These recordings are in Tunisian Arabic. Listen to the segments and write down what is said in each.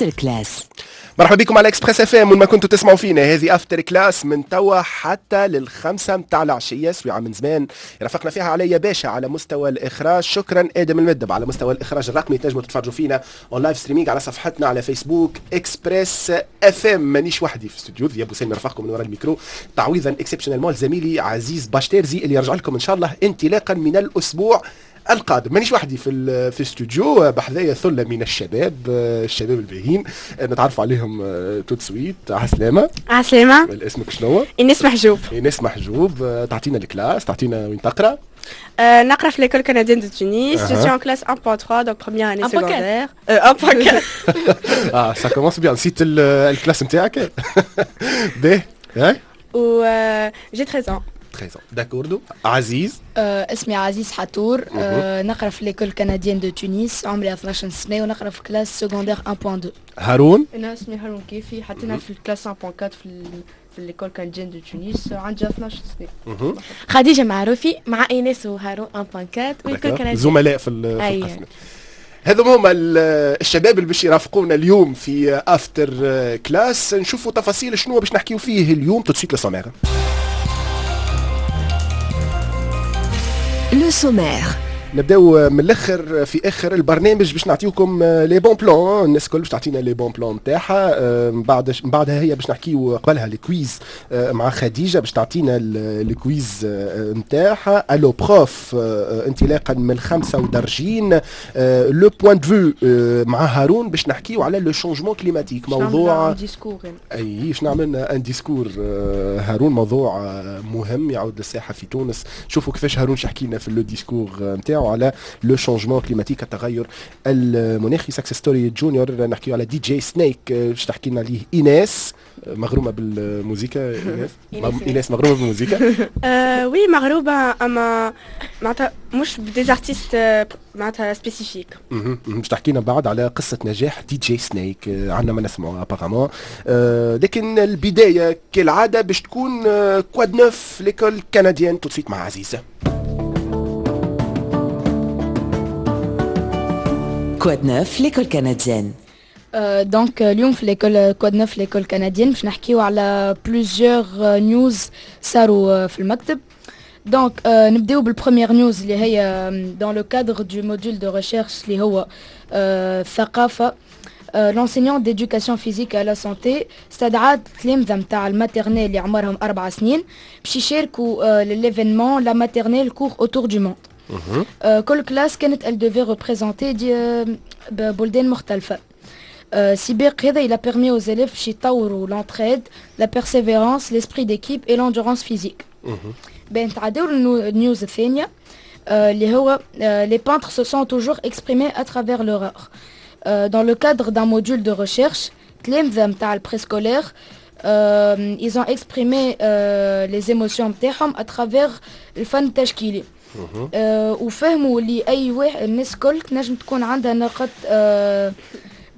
After Class. مرحبا بكم على Express FM وين ما كنتوا تسمعوا فينا، هذه After Class من توا حتى للخمسة متاع العشية، سويعة من زمان رافقنا فيها عليا باشا على مستوى الإخراج، شكرا آدم المدب على مستوى الإخراج الرقمي. تنجموا تتفرجوا فينا en live streaming على صفحتنا على فيسبوك Express FM. مانيش وحدي في الاستوديو، ذياب وسالم رفقكم من وراء الميكرو، تعويضا exceptionnellement زميلي عزيز باشتيرزي اللي يرجع لكم ان شاء الله انطلاقا من الاسبوع القادم. مانيش وحدي في الاستوديو، بحذايا ثلة من الشباب، الشباب الباهين نتعرفوا عليهم tout de suite. عسلامة. عسلامة. اسمك شنو؟ إيناس محجوب. إيناس محجوب، تعطينا ال classe، تعطينا وين تقرا؟ نقرا في l'école canadienne de Tunis, je suis en classe 1.3 donc première année secondaire. 1.4. اه ça commence bien، نسيت ال classe نتاعك؟ باهي. و j'ai 13 ans. 13 d'accord. عزيز. اسمي عزيز حتور، نقرا في l'école canadienne de Tunis، عمري 12 سنة ونقرا في classe secondaire 1.2. هارون. انا اسمي هارون كيفي، حتى انا في ال classe 1.4 في l'école canadienne de Tunis، عندي 12 سنة. خديجة معروفي مع ايناس وهارون 1.4 و l'école canadienne، زملاء في القسم. هذو هما الشباب اللي باش يرافقونا اليوم في After Class. نشوفوا تفاصيل شنو باش نحكيو فيه اليوم tout de suite le sommaire. le sommaire. نبداو من الاخر في اخر البرنامج باش نعطيوكم les bons plans، الناس الكل باش تعطينا les bons plans نتاعها. من بعد من بعدها هي باش نحكيو قبلها ال quiz مع خديجة باش تعطينا ال quiz نتاعها. allo prof انطلاقا من الخمسة ودرجين. le point de vue مع هارون باش نحكيو على le changement climatique، موضوع discours. اي باش نعمل un discours هارون، موضوع مهم يعود للساحه في تونس. شوفوا كيفاش هارون يحكي لنا في le discours نتاعو على le changement climatique، التغير المناخي. success story junior نحكيو على DJ Snake باش تحكي لنا عليه ايناس، مغرومه بالموسيقى. ايناس، ايناس مغرومه بالموسيقى؟ oui مغرومه، اما معناتها مش ب des artistes معناتها spécifiques. باش تحكي لنا بعد على قصة نجاح DJ Snake، عندنا ما نسمعوا apparemment. لكن البداية كالعادة باش تكون quoi de neuf l'école canadienne tout de suite مع عزيزه. quoi de neuf l'école canadienne. donc اليوم في l'école quoi de neuf l'école canadienne باش نحكيو على plusieurs news صاروا في المكتب. donc نبداو بال première news اللي هي dans le cadre du module de recherche اللي هو الثقافة. l'enseignante d'éducation physique à la santé استدعت تلامذة نتاع ال maternelle اللي عمرهم 4 سنين باش يشاركوا l'événement la maternelle court autour du monde. كل classe كانت elle devait représenter des بلدان مختلفة. سباق هذا il a permis aux élèves باش يطوروا l'entraide, la persévérance, l'esprit d'équipe et l'endurance physique. بين تعداو ال news الثانية اللي هو les peintres se sont toujours exprimés à travers leur art. Dans le cadre d'un module de recherche تلامذة نتاع ال préscolaire ils ont exprimé les émotions نتاعهم à travers الفن التشكيلي. وفهموا اللي اي واحد الناس الكل تنجم تكون عندها نقط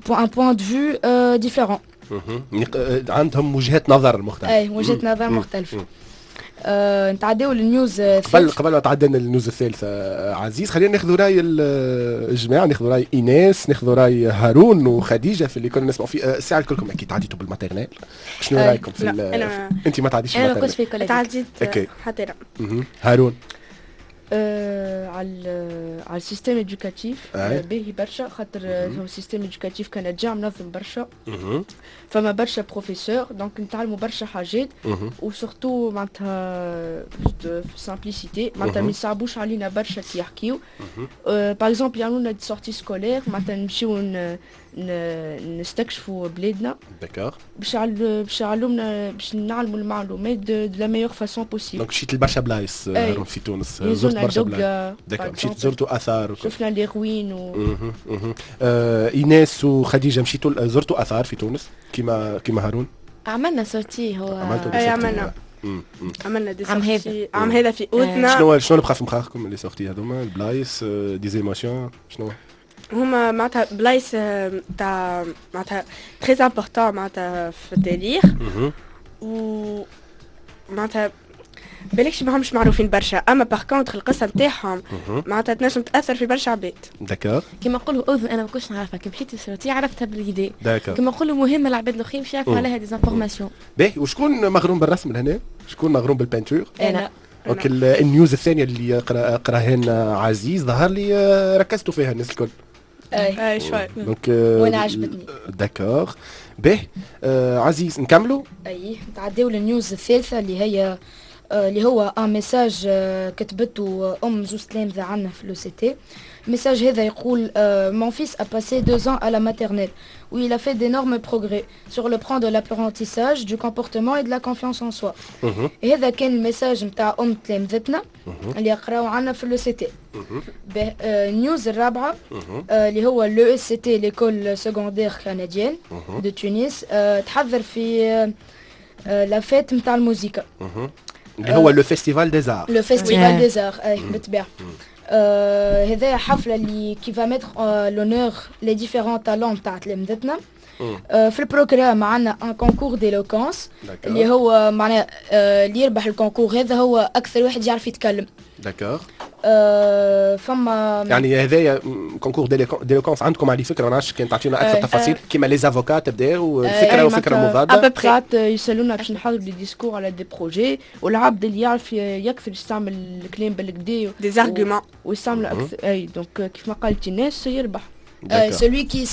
un point de vue différent. عندهم وجهات نظر مختلفة. اي وجهات نظر مختلفة. نتعداو لل news. قبل ما تعدينا لل news الثالثة عزيز، خلينا ناخذ راي الجماعة، ناخذ راي ايناس، ناخذ راي هارون وخديجة في اللي كنا نسمعوا فيه. الساعة الكلكم اكيد تعديتوا بال maternelle، شنو رايكم في لا. انت ما تعديش؟ انا ما كنتش في collège. تعديت حتى لا. هارون. على ال système éducatif باهي برشا، خاطر هو système éducatif canadien منظم برشا، فما برشا professeurs donc نتعلموا برشا حاجات، و surtout معناتها simplicité، معناتها ما يصعبوش علينا برشا كي يحكيو. par exemple يعملوا لنا des sorties scolaires، معناتها نمشيو نستكشفوا بلادنا. d'accord. باش يعلمنا باش نعلموا المعلومات de la meilleure façon possible. donc مشيت لبرشا بلايص في تونس؟ زرت برشا بلايص، d'accord. مشيت زرتوا اثار؟ شفنا les ruines و ايناس وخديجة مشيتوا زرتوا اثار في تونس كيما هارون؟ عملنا sortie هو. عملتوا؟ اي عملنا des sorties عام هذا في اوتنا. شنو اللي بقى في مخاخكم les sorties هذوما، البلايص، des émotions، شنو؟ هما معناتها بلايص تاع معناتها très importants معناتها في التاريخ، و معناتها بالكش ماهمش معروفين برشا، اما par contre القصة نتاعهم معناتها تنجم تاثر في برشا عباد. d'accord. كيما نقولوا اذن انا ما كنتش نعرفها، كي مشيت لسيرتي عرفتها باليدي. d'accord. كيما نقولوا مهمة العباد الاخرين باش يعرفوا عليها des informations. باهي، وشكون مغروم بالرسم لهنا؟ شكون مغروم بال peinture؟ انا. donc ال news الثانية اللي قراها لنا عزيز ظهر لي ركزتوا فيها الناس الكل. اي شوي. donc وانا عجبتني. d'accord. باهي عزيز نكملوا؟ اي نتعداو لل news الثالثة اللي هي اللي هو un message كتبته ام زوز تلامذه عندنا في l'ECT. ال message هذا يقول: mon fils a passé 2 ans à la maternelle où il a fait d'énormes progrès sur le plan de l'apprentissage, du comportement et de la confiance en soi. هذا كان ال message نتاع ام تلامذتنا اللي يقراو عندنا في l'ECT. ال news الرابعة اللي هو l'ESCT، l'école secondaire canadienne de Tunis، تحضر في la fête نتاع الموسيقى. اللي هو le festival des arts. le festival des arts، اي بالطبيعه. هذا حفلة اللي qui va mettre l'honneur les différents talents تاع تلامذتنا. في ال programme عندنا un concours d'éloquence، اللي هو معناه اللي يربح ال concours هذا هو اكثر واحد يعرف يتكلم. d'accord. فما يعني هذايا concours d'éloquence، عندكم على فكره، ما نعرفش كان تعطينا اكثر تفاصيل، كيما les avocats تبداو فكرة وفكره مضاده. ساعات يسالونا باش نحضروا des discours على des projets، والعبد اللي يعرف يكثر يستعمل الكلام بالكدا des arguments ويستعمل اكثر، اي donc كيف ما قالت الناس يربح. Celui qui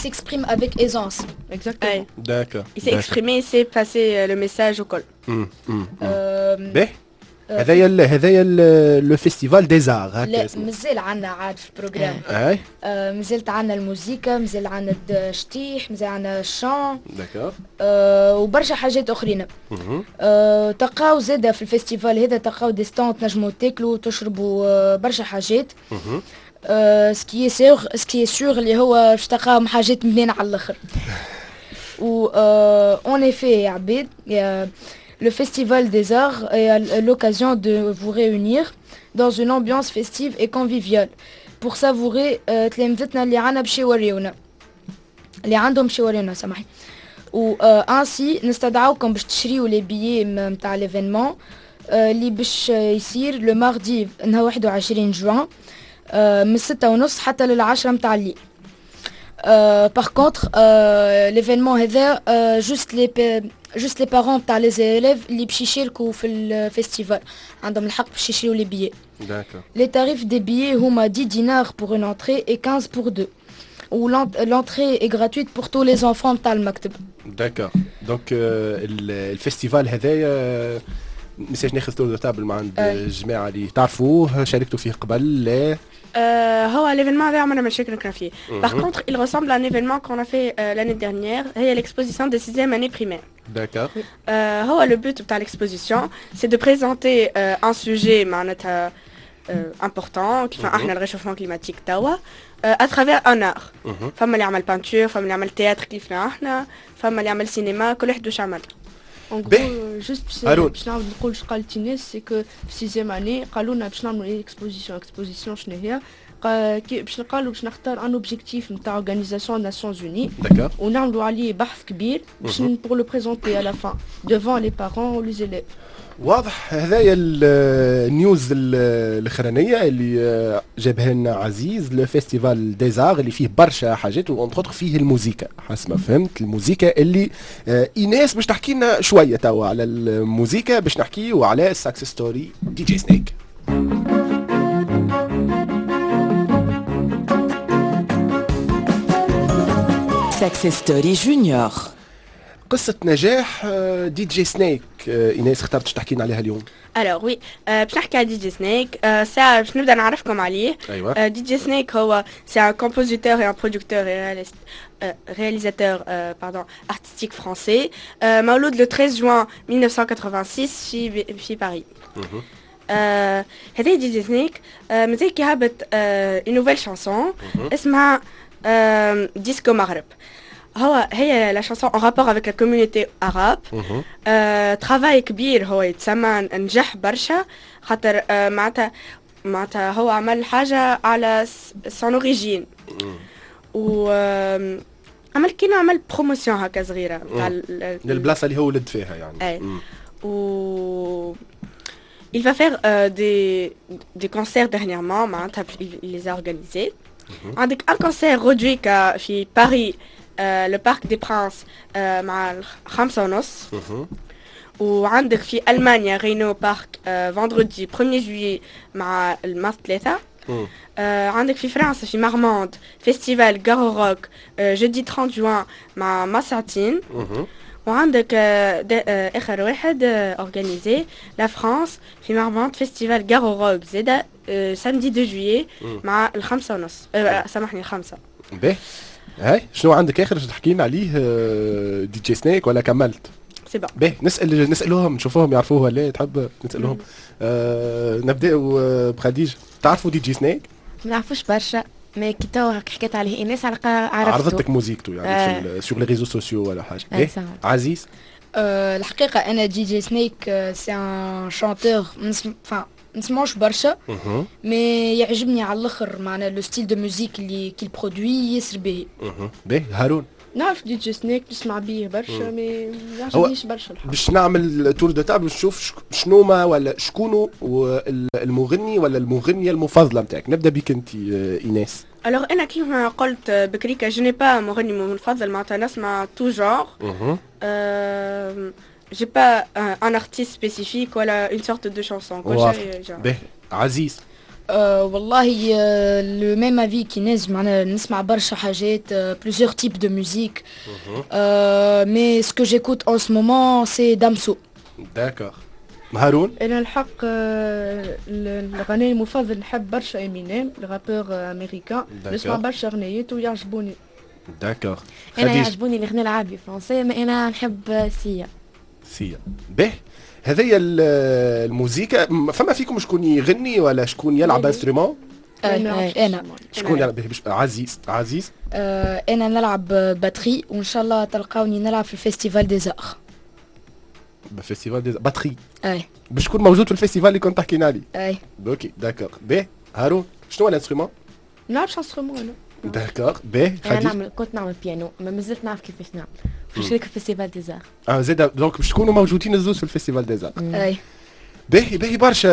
s'exprime avec aisance. Exactement. D'accord. Il s'est exprimé, il sait passer le message au col. باهي، هذايا le festival des arts. هكا لا، مازال عندنا عاد في ال programme. اي. مازالت عندنا الموسيقى، مازال عندنا الشطيح، مازال عندنا ال chant. d'accord. وبرشا حاجات اخرين. تلقاو زاده في ال festival هذا، تلقاو des stands تنجموا تاكلوا وتشربوا برشا حاجات. ce qui est sûr اللي هو باش تلقاهم حاجات بنينه على الاخر. و en effet يا عبيد، le Festival des Arts est l'occasion de vous réunir dans une ambiance festive et conviviale pour savourer تلامذتنا اللي عنا باش يوريونا اللي عندهم باش يوريونا، سامحني. و ainsi نستدعوكم باش تشريو les billets نتاع l'événement اللي باش يصير le mardi نهار 21 جوان من 6:30 حتى لل10 نتاع الليل. par contre l'événement هذا juste les parents تاع les élèves اللي باش يشاركوا في ال festival عندهم الحق باش يشريو les billets. d'accord. Les tarifs des billets هما 10 dinars pour une entrée et 15 pour deux. و l'entrée est gratuite pour tous les enfants تاع المكتب. d'accord، donc ال festival هذايا message ناخذ tour de table مع عند الجماعة اللي تعرفوه، شاركتوا فيه قبل؟ لا. هو l'événement هذا عمرنا ما شاركنا فيه. Par contre, il ressemble à un événement qu'on a fait l'année dernière، هي l'exposition des sixième année primaire. d'accord. هو le but بتاع l'exposition c'est de présenter un sujet معناتها important، كيف احنا ال réchauffement climatique توا، à travers un art. فما اللي عمل peinture، فما اللي عمل théâtre كيفنا احنا، فما اللي عمل سينما، كل واحد واش عمل. en gros juste باش نعاود نقول اش قالت الناس، c'est que في sixième année قالوا لنا باش نعملوا exposition. exposition شنو هي؟ باش نقالوا باش نختار un objectif نتاع organisation Nations Unies ونعملوا عليه بحث كبير باش pour le présenter à la fin devant les parents و les élèves. واضح. هذايا ال news الاخرانية اللي جابها لنا عزيز، le festival des arts اللي فيه برشا حاجات و entre فيه الموزيكا حسب ما فهمت، الموزيكا اللي ايناس باش تحكي لنا شوية توا على الموزيكا، باش نحكيو على success story DJ Snake. Success Story Junior. قصة نجاح DJ Snake، ايناس اخترت تحكي لنا عليها اليوم. alors oui، باش نحكي على DJ Snake. ساعة باش نبدا نعرفكم عليه. DJ Snake هو c'est un compositeur et un producteur réalisateur pardon, artistique français، مولود le 13 juin 1986 في باريس. هذا DJ Snake مازال كي هبط une nouvelle chanson اسمها ديسكو مغرب. هو هي la chanson en rapport avec la communauté arabe. travail كبير، هو يتسمى نجح برشا خاطر معناتها هو عمل حاجة على son origine و عمل كينو عمل promotion هكا صغيرة تاع للبلاصه اللي هو ولد فيها يعني. اي، و Il va faire des concerts dernièrement, معناتها il les a organisés. عندك un concert غدويكا في باريس le Parc des Princes مع 5:30. وعندك في المانيا Rheinau Park vendredi 1 juillet مع الماس 3. عندك في فرنسا في Marmande festival Garorock jeudi 30 جوان مع مساعتين. وعندك اخر واحد organisé la France في Marmande festival Garorock زاده samedi 2 juillet مع 5:30، سامحني 5. باهي هاي شنو عندك اخر تحكي لنا عليه DJ Snake ولا كملت؟ c'est bon. باهي نسالوهم نشوفوهم يعرفوه ولا تحب نسالوهم. نبداو بخديجه. تعرفوا DJ Snake؟ ما نعرفوش برشا، mais كي توا حكيت عليه ايناس عرفته، عرضتك موزيكتو يعني في sur les réseaux sociaux ولا حاجة. عزيز؟ الحقيقة انا DJ Snake c'est un chanteur نسمعوش برشا، mais يعجبني على الاخر، معنا le style de musique اللي qu'il produit ياسر باهي. باهي هارون؟ نعرف DJ Snake، نسمع بيه برشا mais ما يعجبنيش برشا الحق. باش نعمل tour de table نشوف شنو ما ولا شكونو المغني ولا المغنية المفضلة نتاعك. نبدا بك انت ايناس. alors انا كيما قلت بكريكا je n'ai pas مغني مفضل، معناتها نسمع tout genre. j'ai pas un artiste spécifique ولا une sorte de chanson كل شيء. باهي عزيز؟ والله le même avis qu'Inès، معناها نسمع برشا حاجات، plusieurs types de musique، mais ce que j'écoute en ce moment c'est Damso. d'accord. هارون؟ انا الحق الغناء المفضل نحب برشا Eminem، ال rappeur américain، نسمع برشا اغنيات ويعجبوني. d'accord. انا يعجبوني الغناء العربي français، mais انا نحب Sia. Sia. باهي هذه الموزيكا. فما فيكم شكون يغني ولا شكون يلعب instrument؟ انا. شكون يلعب؟ عزيز. عزيز؟ انا نلعب batterie، وان شاء الله تلقاوني نلعب في ال festival des arts. festival des batterie؟ اي. باش تكون موجود في ال festival اللي كنت تحكينا عليه. اي. OK d'accord. باهي هارون شنو هو ال instrument؟ نلعبش instrument انا. d'accord. باهي انا نعمل، كنت نعمل بيانو، ما مازلت نعرف كيفاش نعمل. باش نشارك في festival des arts. زاد donc باش تكونوا موجودين الزوز في ال festival des arts. اي. باهي باهي برشا.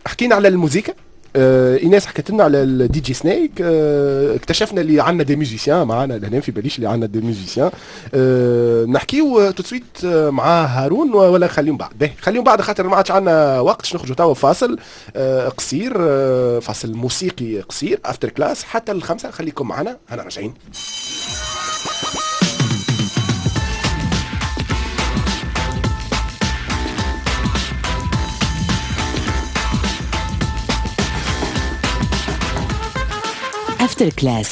حكينا على الموزيكا، ايناس حكت لنا على ال DJ Snake، اكتشفنا اللي عندنا des musiciens معنا لهنا، في باليش اللي عندنا des musiciens. نحكيو tout de suite مع هارون ولا خليهم بعد؟ باهي خليهم بعد خاطر ما عادش عندنا وقت، نخرجوا توا فاصل قصير، فاصل موسيقي قصير After Class حتى 5. خليكم معنا، انا راجعين. After Class.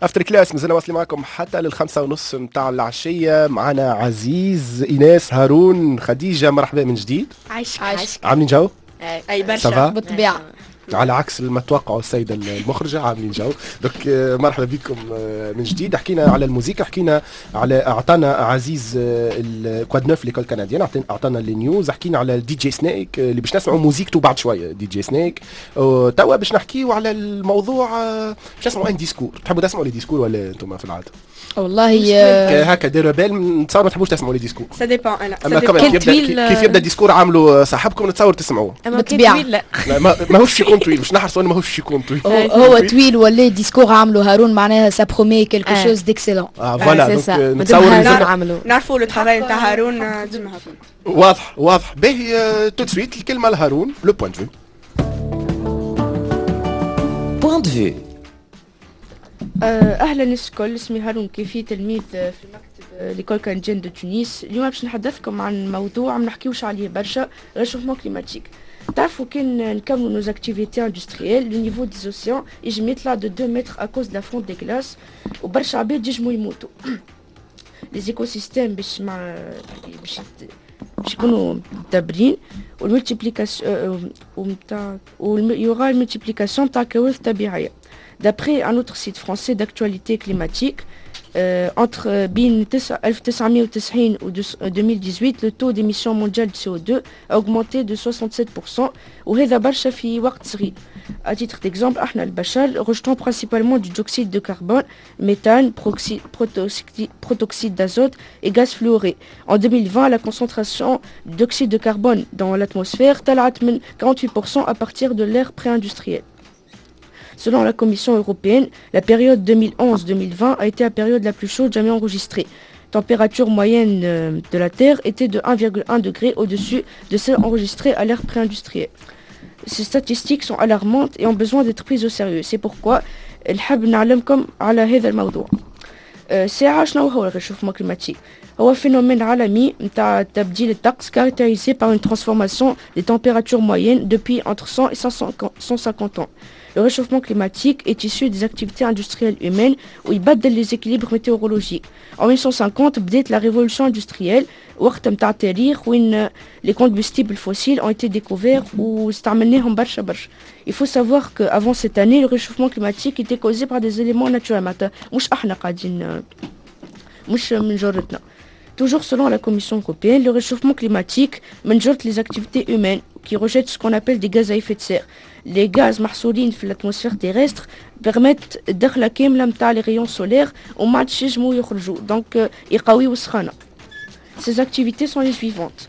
After Class مازلنا واصلين معكم حتى 5:30 متاع العشية. معنا عزيز، ايناس، هارون، خديجة. مرحبا من جديد. عايشك. عايشك. عاملين جو؟ اي برشا بالطبيعة، على عكس ما توقعوا السيدة المخرجة عاملين جو. donc مرحبا بكم من جديد. حكينا على الموسيقى، حكينا على، اعطانا عزيز ال quoi de neuf l'école canadienne، اعطانا les news، حكينا على ال DJ Snake اللي باش نسمعوا موزيكتو بعد شوية DJ Snake. توا باش نحكيو على الموضوع، باش نسمعوا un discours. تحبوا تسمعوا les discours ولا انتم في العادة؟ والله هكا ديروا بال، نتصور ما تحبوش تسمعوا les discours. ça dépend. انا اما كيف يبدا discours عاملوا صاحبكم نتصور تسمعوه. بالطبيعة لا ماهوش يكون طويل، باش نحرصوا انه ماهوش يكون طويل. هو طويل ولا discours عملوا هارون معناها ça promet quelque chose d'excellent. voilà donc نتصور نعرفوا le travail نتاع هارون ديما واضح واضح. باهي tout de suite الكلمة لهارون، le point de vue. point de vue. اهلا الناس الكل، اسمي هارون كيفي، تلميذ في مكتب l'école canadienne de Tunis. اليوم باش نحدثكم عن موضوع ما نحكيوش عليه برشا، réchauffement climatique. تعرفوا كان نكملوا nos activités industrielles، le niveau des océans يجم يطلع de 2 mètres à cause de la fonte des glaces، وبرشا عباد يجموا يموتوا. les écosystèmes باش مع باش يكونوا مدبرين، وال multiplication ومتاع il y aura multiplication تاع كوارث طبيعية. D'après un autre site français d'actualité climatique, Entre بين 1990 و 2018, le taux d'émission mondiale de CO2 a augmenté de 67%, وهذا برشا في وقت صغير. À titre d'exemple, احنا البشر rejetons principalement du dioxyde de carbone, méthane, protoxyde d'azote et gaz fluoré. En 2020, la concentration d'oxyde de carbone dans l'atmosphère طلعت من 48% à partir de l'ère pré-industrielle. Selon la Commission européenne, la période 2011-2020 a été la période la plus chaude jamais enregistrée. Température moyenne de la Terre était de 1,1 degré au-dessus de celle enregistrée à l'ère pré-industrielle. Ces statistiques sont alarmantes et ont besoin d'être prises au sérieux. C'est pourquoi نحب نعلمكم على هذا الموضوع. ساعة شنو هو ال réchauffement climatique؟ هو phénomène عالمي نتاع تبديل الطقس caractérisé par une transformation des températures moyennes depuis entre 100 et 150 ans. Le réchauffement climatique est issu des activités industrielles humaines ويبدل les équilibres météorologiques. En 1850 بدات la révolution industrielle, وقت نتاع التاريخ وين les combustibles fossiles ont été découverts واستعملناهم برشا برشا. Il faut savoir qu'avant cette année, le réchauffement climatique était causé par des éléments naturels, معناتها مش احنا قاعدين مش من جرتنا. Toujours selon la Commission européenne, le réchauffement climatique من جرة les activités humaines qui rejettent ce qu'on appelle des gaz à effet de serre. Les gaz محصورين في l'atmosphère terrestre permettent الدخلة كاملة متاع les rayons solaires وما عادش ينجموا يخرجوا, donc يقويوا السخانة. Ces activités sont les suivantes.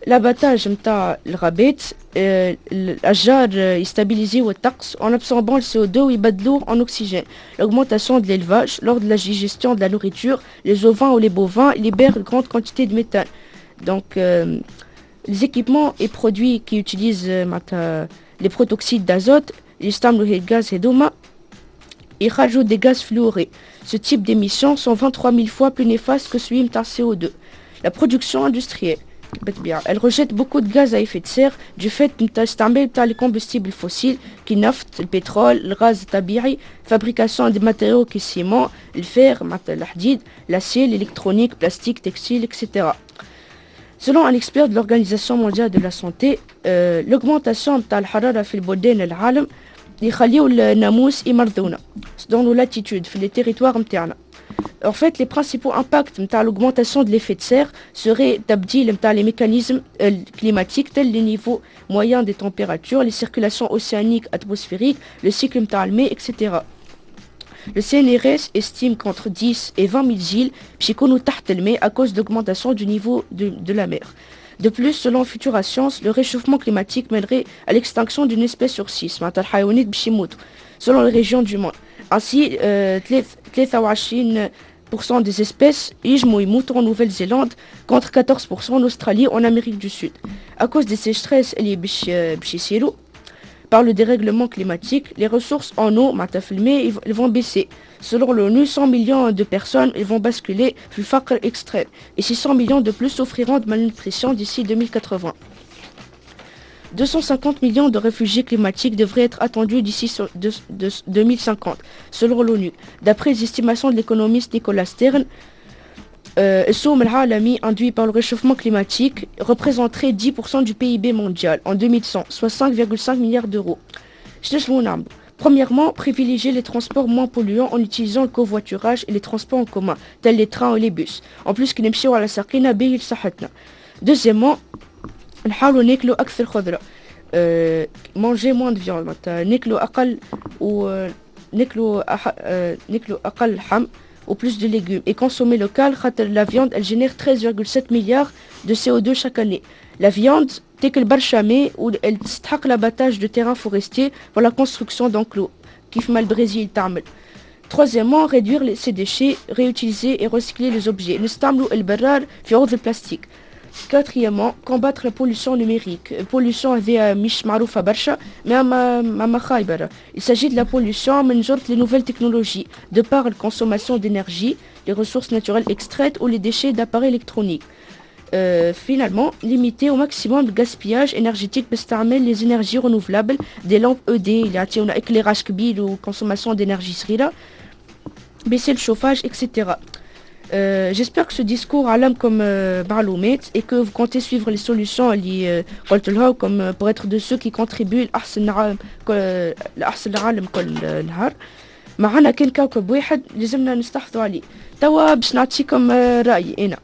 L'abattage نتاع الغابات, الأشجار يستابيليزيو الطقس en absorbant le CO2 ويبدلوه en oxygène. L'augmentation de l'élevage, lors de la digestion de la nourriture, les ovins ou les bovins libèrent une grande quantité de méthane. Donc les équipements et produits qui utilisent معناتها les protoxydes d'azote, يستعملوا les gaz هذوما يخرجوا des gaz fluorés. Ce type d'émissions sont 23 000 fois plus néfastes que celui متاع CO2. La production industrielle, بالطبيعة, elle rejette beaucoup de gaz à effet de serre du fait نتاع استعمال نتاع les combustibles fossiles كي النفط, البترول, الغاز الطبيعي, fabrication des matériaux كي ال ciment, ال fer معناتها الحديد, l'acier, l'électronique, plastique, textile, etc. Selon un expert de l'Organisation mondiale de la santé, l'augmentation نتاع الحرارة في البلدان العالم يخليو الناموس يمرضونا dans nos latitudes, في les territoires نتاعنا. En fait, les principaux impacts نتاع l'augmentation de l'effet de serre seraient تبديل نتاع les mécanismes climatiques tels les niveaux moyens des températures, les circulations océaniques atmosphériques, le cycle نتاع الماء, etc. Le CNRS estime qu'entre 10 et 20 000 îles باش يكونوا تحت الماء à cause d'augmentation du niveau de la mer. De plus, selon Futura Science, le réchauffement climatique mènerait à l'extinction d'une espèce sur six, معناتها الحيوانات باش يموتوا, selon les régions du monde. Ainsi, 23% des espèces ينجموا يموتوا en Nouvelle-Zélande contre 14% en Australie ou en Amérique du Sud. À cause des sécheresses اللي باش يصيروا par le dérèglement climatique, les ressources en eau, معناتها في الماء, ils vont baisser. Selon l'ONU, 100 millions de personnes ils vont basculer في الفقر extrême et 600 millions de plus souffriront de malnutrition d'ici 2080. 250 millions de réfugiés climatiques devraient être attendus d'ici 2050, selon l'ONU. D'après les estimations de l'économiste Nicolas Stern, السوم العالمي induit par le réchauffement climatique représenterait 10% du PIB mondial en 2100, soit 5,5 milliards d'euros. شنو نعملوا؟ Premièrement, privilégier les transports moins polluants en utilisant le covoiturage et les transports en commun, tels les trains ou les bus. En plus, كي نمشيو على ساقينا باهي لصحتنا. Deuxièmement, نحاولوا ناكلوا أكثر خضرة. Manger moins de viande, معناتها ناكلوا أقل و ناكلوا أح... ناكلوا أقل لحم ou plus de légumes et consommer local خاطر la viande, elle génère 13,7 milliards de CO2 chaque année. La viande تاكل برشا ماء و elle تستحق l'abattage de terrains forestiers pour la construction d'enclos كيف ما البرازيل تعمل. Troisièmement, réduire ses déchets, réutiliser et recycler les objets. نستعملوا البرار في عوض البلاستيك. Quatrièmement, combattre la pollution numérique. Pollution هذه مش معروفة برشا mais ما خايبة. Il s'agit de la pollution من جرة les nouvelles technologies, de par la consommation d'énergie, les ressources naturelles extraites ou les déchets d'appareils électroniques. Finalement, limiter au maximum le gaspillage énergétique باستعمال les énergies renouvelables, des lampes LED اللي يعطيونا éclairage كبير و consommation d'énergie صغيرة, baisser le chauffage, etc. J'espère que ce discours علمكم معلومات et que vous comptez suivre les solutions اللي قلت لها comme pour être de ceux qui contribuent لأحسن عالم لأحسن العالم كل نهار. معنا كان كوكب واحد لازمنا نستحفظوا عليه. توا باش نعطيكم رايي انا،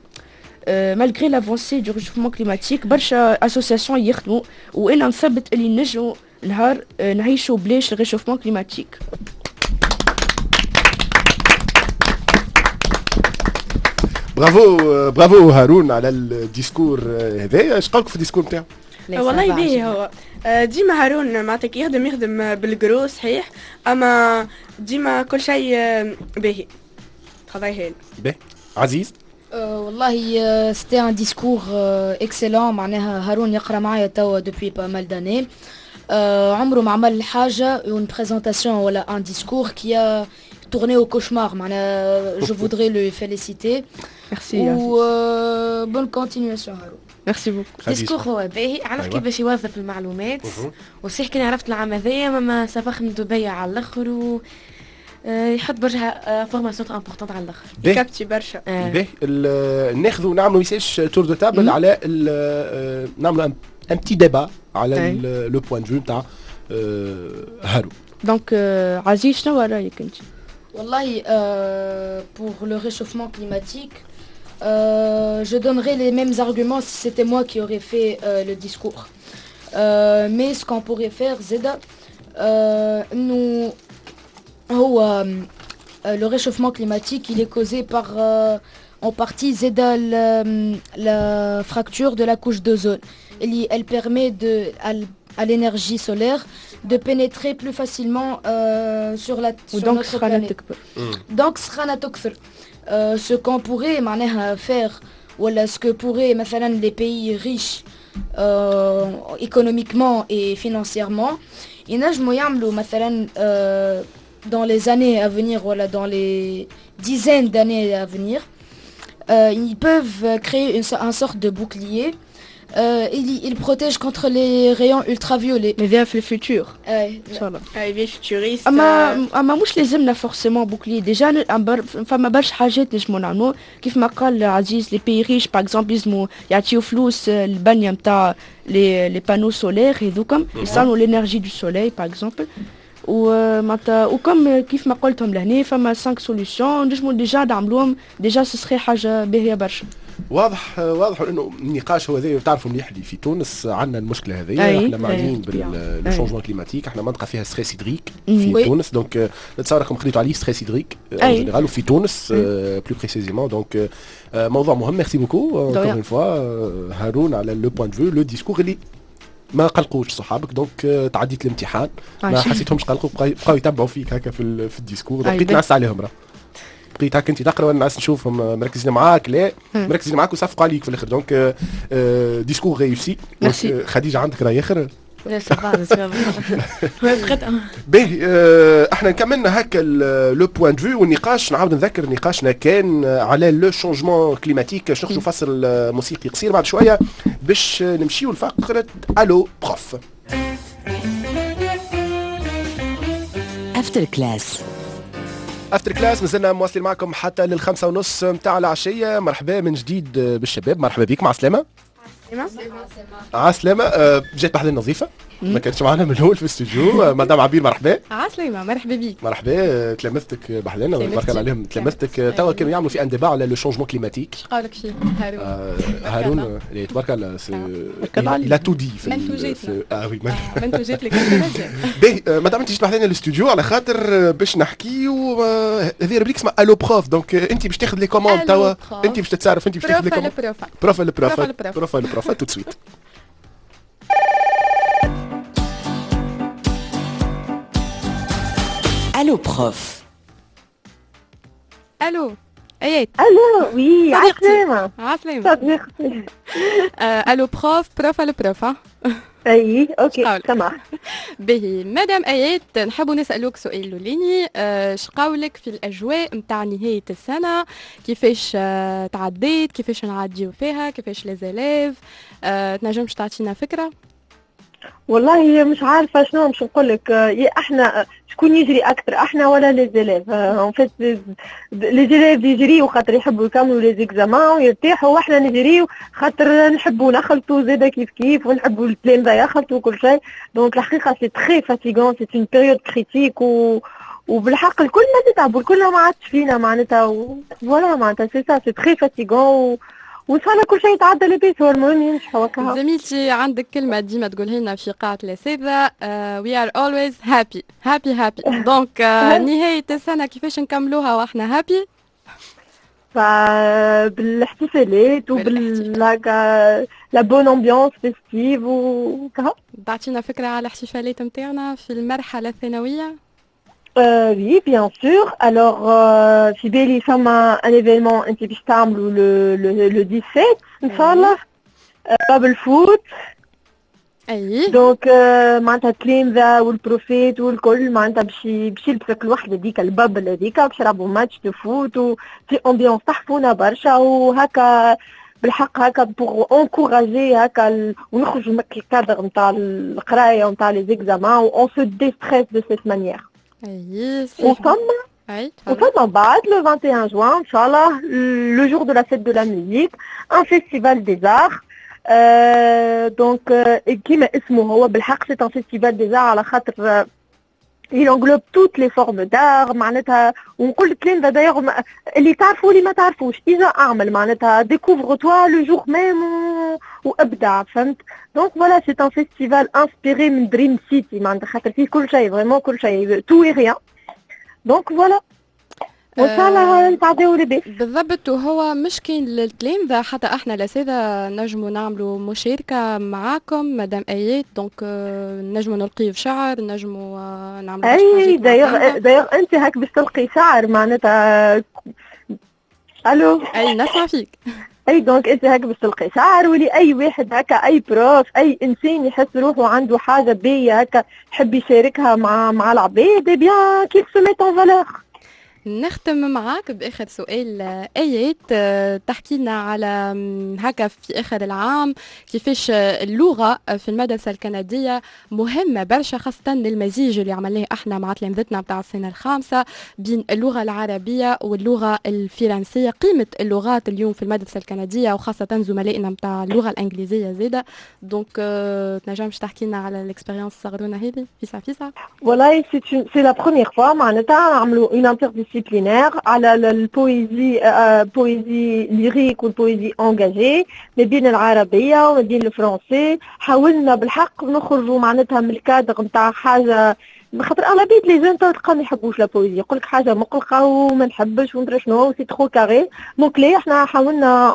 malgré l'avancée du réchauffement climatique برشا associations يخدموا، وانا نثبت اللي نجموا نهار نعيشوا بلاش ال réchauffement climatique. bravo bravo هارون على ال discours هذايا. اش قالك في ال discours نتاعو؟ والله باهي هو ديما هارون معناتها يخدم بال gros صحيح، اما ديما كل شيء باهي، travail هايل. باهي عزيز. والله c'était un discours excellent. معناها هارون يقرا معايا توا depuis pas mal d'années، عمره ما عمل حاجة une présentation ولا un discours qui a tourné au cauchemar. معناها je voudrais le féliciter. Merci. و bonne continuation هارون. Merci beaucoup. Discours هو باهي، عرف كيفاش يوظف المعلومات، وصحيح كان عرفت العام هذايا ما سافر من دبي على الاخر و يحط برشا informations importantes على الاخر، يكابتي برشا. باهي ناخذوا نعملوا ميساج tour de table على نعملوا un petit débat على le point de vue نتاع هارون. Donc عزيز شنو رايك انت؟ والله pour le réchauffement climatique je donnerais les mêmes arguments si c'était moi qui aurais fait le discours. Mais ce qu'on pourrait faire, زادا nous هو le réchauffement climatique il est causé par en partie زادا la fracture de la couche d'ozone. Elle permet à l'énergie solaire de pénétrer plus facilement sur sur notre planète. Donc سخانة تكثر. Ce qu'on pourrait معناها faire ولا ce que pourraient مثلا les pays riches économiquement et financièrement ينجموا يعملوا مثلا dans les années à venir ولا dans les dizaines d'années à venir ils peuvent créer un sorte de bouclier. Il protège contre les rayons ultraviolets. Mais viens في ال futur. ان شاء الله. اي futuriste. اما مش لازمنا forcément bouclier. Déjà فما برشا حاجات نجمو نعملو كيف ما قال عزيز. Les pays riches par exemple يلزمو يعطيو فلوس البنية نتاع les panneaux solaires هذوكم يصنعوا l'énergie du soleil par exemple. ومعناتها و comme كيف ما قلتهم لهنا فما 5 solutions نجمو déjà نعملوهم déjà، ce serait حاجة باهيه برشا. واضح واضح انه النقاش هو هذا. تعرفوا مليح اللي في تونس عندنا المشكلة هذه، احنا معنيين بال changement climatique، احنا منطقة فيها stress hydrique في تونس. Donc نتصور راكم قريتوا عليه stress hydrique en général وفي تونس plus précisément. Donc موضوع مهم. Merci beaucoup encore une fois هارون على le point de vue، le discours اللي ما قلقوش صحابك. Donc تعديت الامتحان ما حسيتهمش قلقوا، بقاو يتبعوا فيك هكا في ال discours. بقيت نعس عليهم، راه بقيت هكا انت تقرا وانا نعس نشوفهم مركزين معاك، لا مركزين معاك وصفقوا عليك في الاخر. Donc discours réussi. خديجة عندك راي اخر؟ لا باهي احنا كملنا هكا le point de vue والنقاش. نعاود نذكر نقاشنا كان على le changement climatique. باش نخرجوا فصل موسيقي قصير بعد شوية باش نمشيو لفقره Allo prof. After Class. After Class مازلنا مواصلين معكم حتى لل5:30 نتاع العشية. مرحبا من جديد بالشباب، مرحبا بك، مع السلامة. عسلامة. جات بحذا النظيفة ما كانتش معنا من الاول في الاستوديو. مدام عبير مرحبا. عسلامة، مرحبا بيك. مرحبا، تلامذتك بحذانا بارك الله عليهم. تلامذتك توا كانوا يعملوا في un débat على le changement climatique. اش قالك فيه هارون؟ هارون تبارك الله il a tout dit. منتوجاتنا. اه oui منتوجات لك. باهي مدام انت جيت بحذانا الاستوديو على خاطر باش نحكيو هذه rubrique اسمها Allo prof. Donc انت باش تاخذ les commandes توا، انت باش تتصرف، انت باش تاخذ les commandes. Prof ال prof prof ال prof tout de suite. Allo prof. الو ايات. Allo oui عسلامة. عسلامة صديقتي. Allo prof، prof allo prof. اي OK سمح. باهي مدام ايات، نحبوا نسالوك سؤال الاولاني. شقاولك في الاجواء نتاع نهاية السنة؟ كيفاش تعديت؟ كيفاش نعديو فيها؟ كيفاش les élèves؟ تنجمش تعطينا فكرة؟ والله مش عارفه شنو باش نقول لك. احنا شكون يجري اكثر، احنا ولا les élèves؟ En fait les élèves يجريو خاطر يحبوا يكملوا les examens ويرتاحوا، واحنا نجريو خاطر نحبوا نخلطوا زاده كيف كيف، ونحبوا التلامذه يخلطوا وكل شيء. Donc الحقيقة c'est très fatigant، c'est une période critique. و وبالحق الكل ما تتعبوا، الكل ما عادش فينا معناتها. voilà معناتها c'est ça، c'est très fatigant، وان شاء الله كل شيء يتعدى لاباس، هو المهم ينجحوا هكا. زميلتي عندك كلمة ديما تقولها لنا في قاعة الأساتذة، we are always happy happy happy. donc نهاية السنة كيفاش نكملوها واحنا happy؟ بالاحتفالات وبال هكا la bonne ambiance festive وكها. تعطينا فكرة على الاحتفالات نتاعنا في المرحلة الثانوية؟ Oui, bien sûr. Alors, في بالي فما un événement انت باش تعملوا le 17 ان شاء الله، bubble foot. Donc معناتها التلامذة وال profs والكل معناتها باش يلبسوا كل وحده ديك ال bubble هذيك، باش يلعبوا match de foot وفي ambiance تحفونه برشا، وهكا بالحق هكا pour encourager هكا ونخرجوا من الكادر نتاع القراية ونتاع les examens، on se déstresse de cette manière. اي. وفما بعد le 21 جوان ان شاء الله، le jour de la fête de la musique، un festival des arts. donc كيما اسمه هو بالحق c'est un festival des arts، على خاطر il englobe toutes les formes d'art معناتها. ونقول لك d'ailleurs اللي تعرفوا واللي ما تعرفوش، اذا اعمل معناتها découvre-toi le jour même وابدع، فهمت؟ donc voilà، c'est un festival inspiré من Dream City معناتها، خاطر فيه كل شيء، vraiment كل شيء، tout et rien. donc voilà، وان شاء الله نتعداو لاباس. بالضبط، وهو مش كاين للتلامذة، حتى احنا الاساتذة نجموا نعملوا مشاركة معاكم مدام ايات. donc نجموا نلقيو شعر، نجموا نعملوا اي d'ailleurs انت هاك باش تلقي شعر معناتها. الو؟ اي نسمع فيك. اي donc انت هاك باش تلقي شعر، ولي اي واحد هكا، اي prof، اي انسان يحس روحه عنده حاجة باهيه هكا يحب يشاركها مع العباد، bien qu'il se mette en valeur. نختم معاك بآخر سؤال آيات، تحكي لنا على هكا في آخر العام كيفاش اللغة في المدرسة الكندية مهمة برشا، خاصة للمزيج اللي عملناه احنا مع تلامذتنا بتاع السنة الخامسة بين اللغة العربية واللغة الفرنسية، قيمة اللغات اليوم في المدرسة الكندية وخاصة زملائنا بتاع اللغة الإنجليزية زادة. donc تنجمش تحكي لنا على l'expérience الصغرونة هذه فيسع فيسع؟ والله c'est la première fois معناتها نعملوا une interdisciplinaire على ال poésie، poésie lyrique وال poésie engagée، ما بين العربية وما بين ال français. حاولنا بالحق نخرجوا معناتها من الكادر نتاع حاجه، خاطر اغلبية les jeunes تلقى ما يحبوش la poésie، يقول لك حاجة مقلقة وما نحبش وندري شنو، c'est trop carré. donc لي احنا حاولنا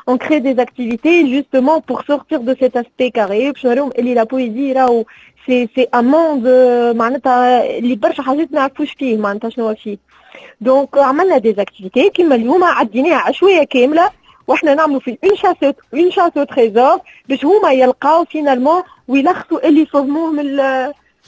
on crée des activités justement pour sortir de cet aspect carré، باش نوريهم اللي la poésie راهو c'est un monde معناتها اللي برشا حاجات ما نعرفوش فيه معناتها شنو فيه. donc عملنا des activités كيما اليوم عديناها عشويه كاملة واحنا نعملوا في une chasse au trésor، باش هما يلقاو finalement ويلخصوا اللي فهموه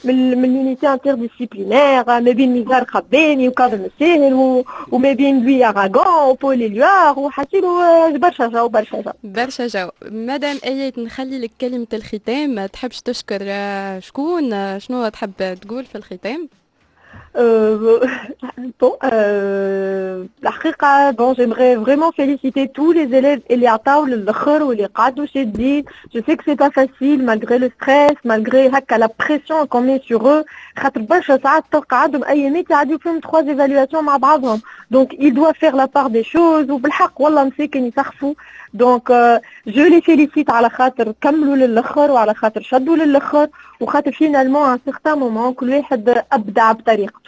من l'unité interdisciplinaire ما بين نزار قباني وكاظم الساهر وما بين Louis Aragon و Paul Éluard، وحكيلو برشا جو برشا جو. برشا جو. مدام ايات، نخلي لك كلمة الختام، تحبش تشكر شكون؟ شنو تحب تقول في الختام؟ Bon, الحقيقة bon، j'aimerais vraiment féliciter tous les élèves اللي عطاو للآخر واللي قعدوا شادين. Je sais que c'est pas facile malgré le stress، malgré هكا la pression qu'on met sur eux، خاطر برشا ساعات تلقى عندهم أيامات يعديو فيهم trois évaluations مع بعضهم، donc ils doivent faire la part des choses، وبالحق والله مساكن يسخفوا. donc je les félicite على خاطر كملوا للآخر وعلى خاطر شدوا للآخر، وخاطر finalement à un certain moment كل واحد أبدع بطريقته.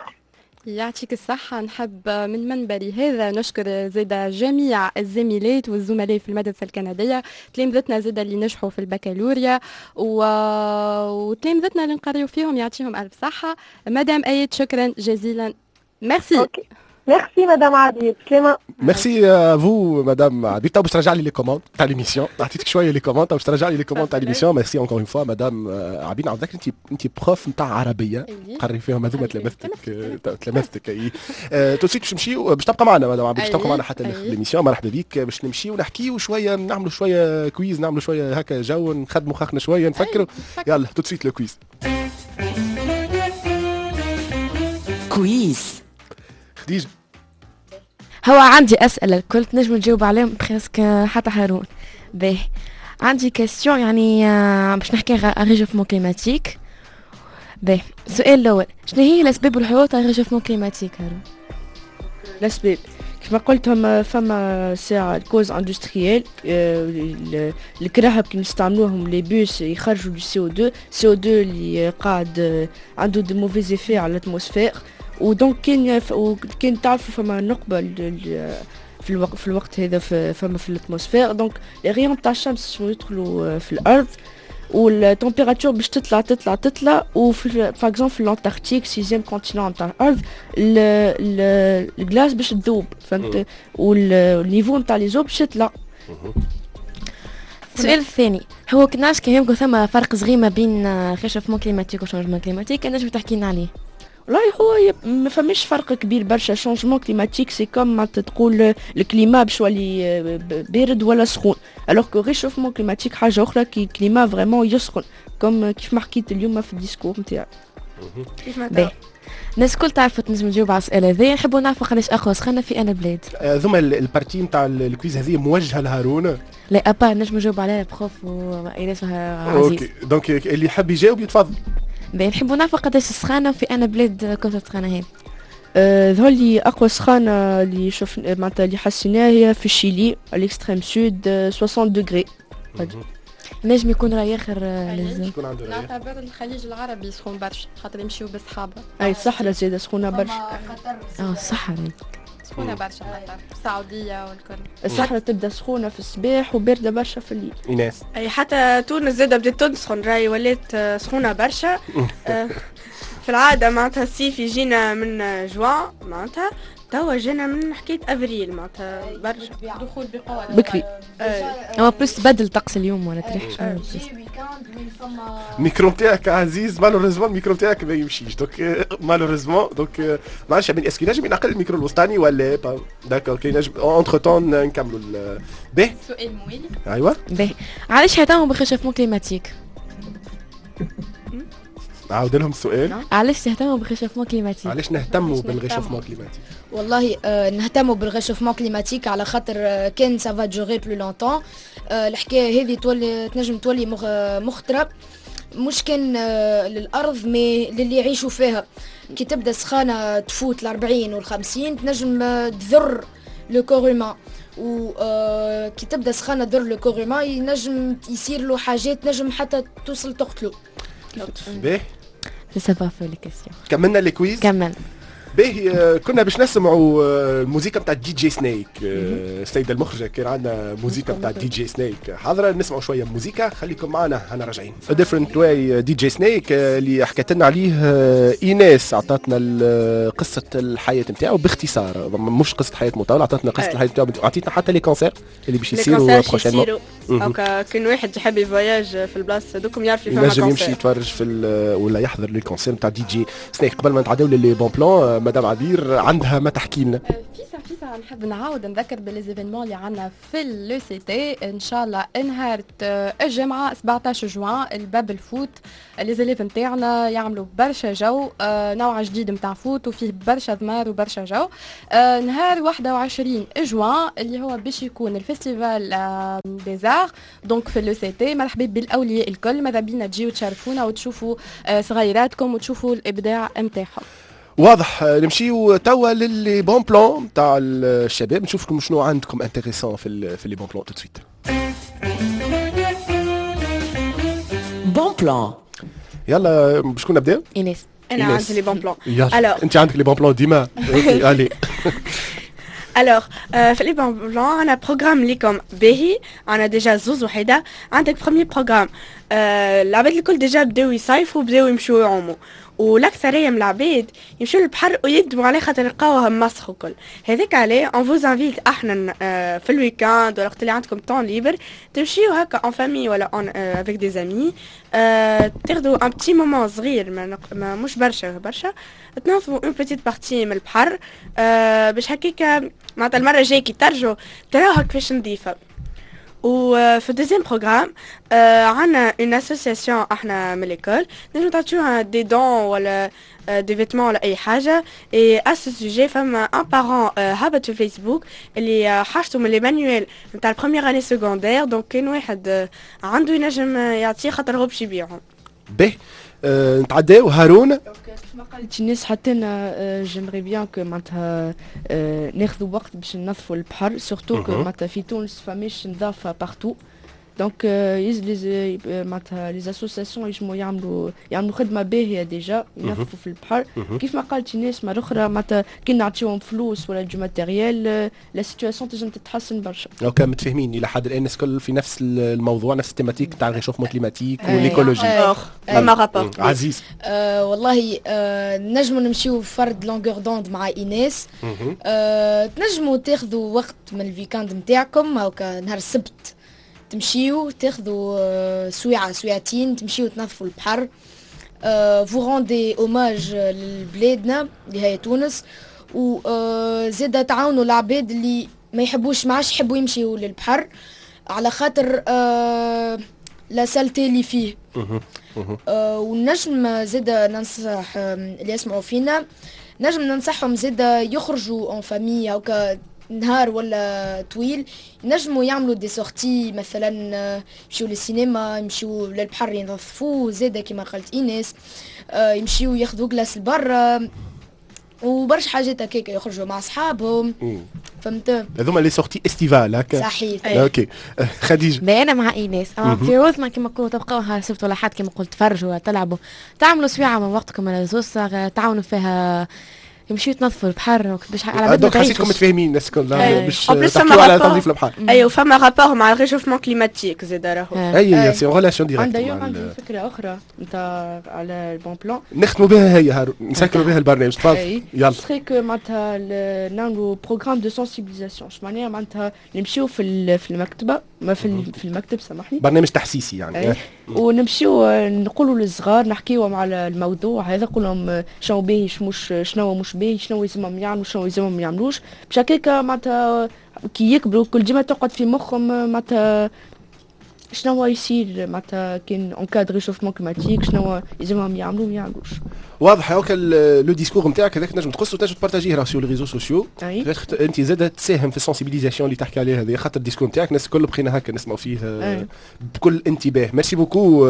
يعطيك الصحة. نحب من منبري هذا نشكر زيدا جميع الزميلات والزملاء في المدرسة الكندية، تلامذتنا زيدا اللي نجحوا في البكالوريا وتلامذتنا اللي نقريو فيهم، يعطيهم ألف صحة. مدام آيات، شكرا جزيلا، ميرسي. okay. merci madame عبير، سلامة. merci à vous madame عبير. تو باش ترجع لي les commandes تاع l'émission، عطيتك شوية les commandes، باش ترجع لي les commandes تاع l'émission. merci encore une fois madame عبير. نعاود انت prof نتاع عربيه، قري فيهم هذوما تلامذتك تلامذتك. اي tout de suite باش نمشيو، باش تبقى معنا مدام عبير، باش تبقى معنا حتى l'émission، مرحبا بك. باش نمشيو ونحكيو شويه، نعملوا شوية quiz، نعملوا شوية هكا جو، نخدموا مخاخنا شويه، نفكروا. يلا tout de suite le quiz. quiz. خديجه. هو عندي أسئلة الكل تنجم تجاوب عليهم presque حتى هارون. باهي، عندي question يعني باش نحكي réchauffement climatique. باهي، السؤال الاول، شنو هي الاسباب والحلول تاع réchauffement climatique هارون؟ الاسباب كما قلت هم فما ساعة causes industrielles، الكراهب كي نستعملوهم les bus يخرجوا du CO2، CO2 اللي قاعد عنده des mauvais effets على l'atmosphère. و donc كان تعرفوا فما نقبة في الوقت هذا فما في l'atmosphère، donc les rayons تاع الشمس يدخلوا في الارض وال température باش تطلع تطلع تطلع. وفي par exemple في l'Antarctique، sixième continent تاع الارض، ال glace باش تذوب، فهمت؟ وال niveau نتاع les eaux باش يطلع. السؤال الثاني هو كناش كان يمكن ثم فرق صغير ما بين réchauffement climatique و changement climatique، نجم تحكي لنا عليه؟ والله هو ما فماش فرق كبير برشا. changement climatique c'est comme معناتها تقول ال climat باش يولي بارد ولا سخون، alors que réchauffement climatique حاجة اخرى، كي climat vraiment يسخن، comme كيف ما حكيت اليوم في ال discours نتاعي. كيف ما الناس الكل تعرف تنجم تجاوب على الاسئلة هذه. نحبوا نعرفوا قداش اقوى سخانه في انا بلاد. ثم ال partie نتاع ال quiz هذه موجهة لهارون. لا، à part نجم نجاوب عليها prof وايناس عزيز. OK، donc اللي يحب يجاوب يتفضل. باهي، نحبوا نعرفوا قداش السخانه في انا بلاد كنت السخانه هذه؟ ظهر لي اقوى سخانه اللي شفنا معناتها اللي حسيناها هي في الشيلي، l'extrême sud، 60 degrés. نجم يكون راي اخر. شكون عنده راي؟ نعتبر الخليج العربي سخون برشا خاطر يمشيو بالسحابه. اي، الصحراء زاده سخونة برشا. الصحراء. سخونة برشا قطر، السعودية والكل. الصحراء تبدا سخونة في الصباح وبارده برشا في الليل. ايناس. اي، حتى تونس زاده بدات تسخن، راي ولات سخونة برشا. في العادة معناتها الصيف يجينا من جوان، معناتها توا جينا من حكاية افريل، معناتها برشا. دخول بقوة. بكري. هو plus تبدل طقس اليوم ولا تريح. الميكرو نتاعك عزيز، malheureusement ال micro نتاعك ما يمشيش، donc malheureusement donc ما عرفتش est-ce que نجم ينقل الميكرو الوسطاني ولا pas؟ d'accord، كي نجم entre-temps نكملوا. باهي. سؤال موالي. ايوا. باهي، علاش يهتموا بال réchauffement climatique؟ عاود لهم السؤال. علاش تهتموا بال réchauffement climatique؟ علاش نهتموا بال réchauffement climatique؟ والله نهتموا بال réchauffement climatique على خاطر كان ça va durer plus longtemps، الحكاية هذه تولي تنجم تولي مخطره، مش كان للارض mais للي يعيشوا فيها. كي تبدا سخانه تفوت ال 40 وال 50 تنجم تضر le corps humain، و كي تبدا سخانه تضر le corps humain ينجم يصير له حاجات تنجم حتى توصل تقتله. باهي. ça va في les questions. كملنا ال quiz؟ كمل. باهي، كنا باش نسمعوا الموسيقى نتاع DJ Snake. السيدة المخرجه، كان عندنا موسيقى نتاع DJ Snake حاضره، نسمعوا شوية موسيقى. خليكم معنا، انا راجعين. different way، DJ Snake اللي حكت لنا عليه ايناس، عطاتنا قصة الحياة نتاعو باختصار، مش قصة حياة مطوله، عطاتنا قصة الحياة نتاعو، عطيتنا حتى les concerts اللي باش يصيروا prochainement. هكا كان واحد يحب ي voyage في البلاصة دوكم يعرف. ينجم يمشي يتفرج في ولا يحضر les concerts نتاع DJ Snake. قبل ما نتعداو les bons plans، مدام عبير عندها ما تحكي لنا. فيسع فيسع، نحب نعاود نذكر ب les événements اللي عندنا في l'ECT. ان شاء الله نهار الجمعة 17 جوان ال bubble foot، les élèves نتاعنا يعملوا برشا جو، نوع جديد نتاع foot وفيه برشا ضمار وبرشا جو. نهار 21 جوان اللي هو باش يكون ال festival des arts donc في l'ECT، مرحبا بالاولياء الكل، ماذا بينا تجيو تشرفونا وتشوفوا صغيراتكم وتشوفوا الابداع نتاعهم. واضح. نمشيو توا ل les bons plans تاع الشباب، نشوفكم شنو عندكم intéressant في les bons plans tout de suite. bons plans. يلا، بشكون نبداو؟ ايناس. انا عندي les bons plans. يلا، انت عندك les bons plans ديما، OK allez. alors في les bons plans عندنا programme ليكم باهي، عندنا déjà زوز وحيده. عندك premier programme، العباد الكل déjà بداو يصيفوا، بداو يمشوا يعوموا، والاكثريه من العباد يمشوا للبحر ويندموا عليه خاطر يلقاوه مسخ وكل هذاك. عليه on vous invite احنا في ال week-end ولا وقت اللي عندكم temps libre تمشيو هكا en famille ولا en avec des amis، تاخذوا un petit moment صغير، ما مش برشا برشا، تنظفوا une petite partie من البحر باش هكاك معناتها المرة الجاية كي ترجعوا تراوها كيفاش نظيفه. وفي ال deuxième programme عندنا une association احنا من l'école، نجم تعطيوها des dons ولا des vêtements ولا اي حاجه. et à ce sujet فما un parent هبط في الفيسبوك اللي حاجته من les manuels نتاع ال première année secondaire، donc كان واحد عنده ينجم يعطيه خاطر هو باش يبيعهم. باهي. نتعداو هارون. كيف ما قالت الناس حتى انا j'aimerais bien que معناتها ناخذوا وقت باش ننظفوا البحر، surtout que معناتها في تونس فماش نظافة partout. donc معناتها les associations يجموا يعملوا خدمة باهيه déjà ينظفوا في البحر. كيف ما قالت الناس مرة اخرى معناتها كي نعطيهم فلوس ولا du matériel la situation تنجم تتحسن برشا. OK متفاهمين الى حد الان الناس الكل في نفس الموضوع، نفس ال thématique تاع ال réchauffement climatique و l'écologie. فما rapport. عزيز. والله نجموا نمشيو فرد longueur d'onde مع ايناس. تنجموا تاخذوا وقت من ال week-end نتاعكم، هاكا نهار السبت تمشيو تاخذوا سويعة سويعتين تمشيو تنظفوا البحر، vous rendez hommage لبلادنا اللي هي تونس، وزادا تعاونوا العباد اللي ما يحبوش ما عادش يحبوا يمشيو للبحر على خاطر la saleté اللي فيه. ونجم زادا ننصح اللي يسمعوا فينا، نجم ننصحهم زادا يخرجوا en famille او نهار ولا طويل، ينجموا يعملوا des sorties مثلا يمشيو للسينما، يمشيو للبحر ينظفوه زاده كما قالت ايناس، يمشيو ياخذوا glace لبرا وبرشا حاجات هكاك، يخرجوا مع اصحابهم، فهمت؟ هذوما les sorties estivales هكا. صحيح. OK خديجة. انا مع ايناس، اما في عوض ما كيما كنتوا تبقاو نهار السبت ولا حد كيما قلت تفرجوا ولا تلعبوا، تعملوا سويعه من وقتكم على زوز تعاونوا فيها، يمشيو يتنظفوا البحر باش على بالنا. حسيتكم متفاهمين الناس الكل باش تحكيو على تنظيف البحر. ايوه فما rapport مع ال réchauffement climatique زاد راهو. اي c'est relation directe. عندي فكرة اخرى نتاع على ال bon plan نختموا بها هي هارون، نسكروا بها البرنامج. تفضل يلا. c'est que معناتها نعملوا programme de sensibilisation، اش معناها؟ معناتها نمشيو في المكتبة، ما في المكتب سامحني، برنامج تحسيسي يعني. ونمشيو نقولوا للصغار، نحكيو على الموضوع هذا، نقول لهم شنو باهي شنو مش باهي، شنو يلزمهم يعملوا شنو يلزمهم ما يعملوش، باش هكاك معناتها كي يكبروا كل ديما تقعد في مخهم معناتها شنو يصير معناتها كان en cas de réchauffement climatique، شنو يلزمهم يعملوا ما يعملوش. واضح. هاكا le discours نتاعك هذاك تنجم تقص وتنجم ت partager ه راه sur les réseaux sociaux، انت زاد تساهم في ال sensibilisation اللي تحكي عليها هذه، خاطر ال discours نتاعك الناس الكل بقينا هكا نسمعوا فيه بكل انتباه. merci beaucoup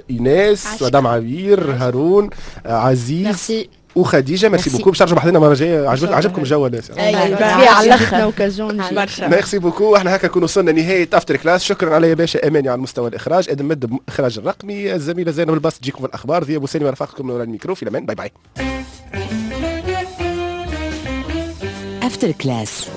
ايناس، مدام عبير، هارون، عزيز وخديجة. merci beaucoup باش ترجعوا بحذنا المرة الجاية. عجبكم الجو ولا؟ على الاخر merci beaucoup. احنا هكا نكون وصلنا نهاية After Class. شكرا علي باشا اماني على المستوى الاخراج، ادم مد الاخراج الرقمي، الزميلة زينب الباس تجيكم في الاخبار، ذي ابو سالم رفاقكم من وراء الميكرو. في الامان، bye bye. After Class.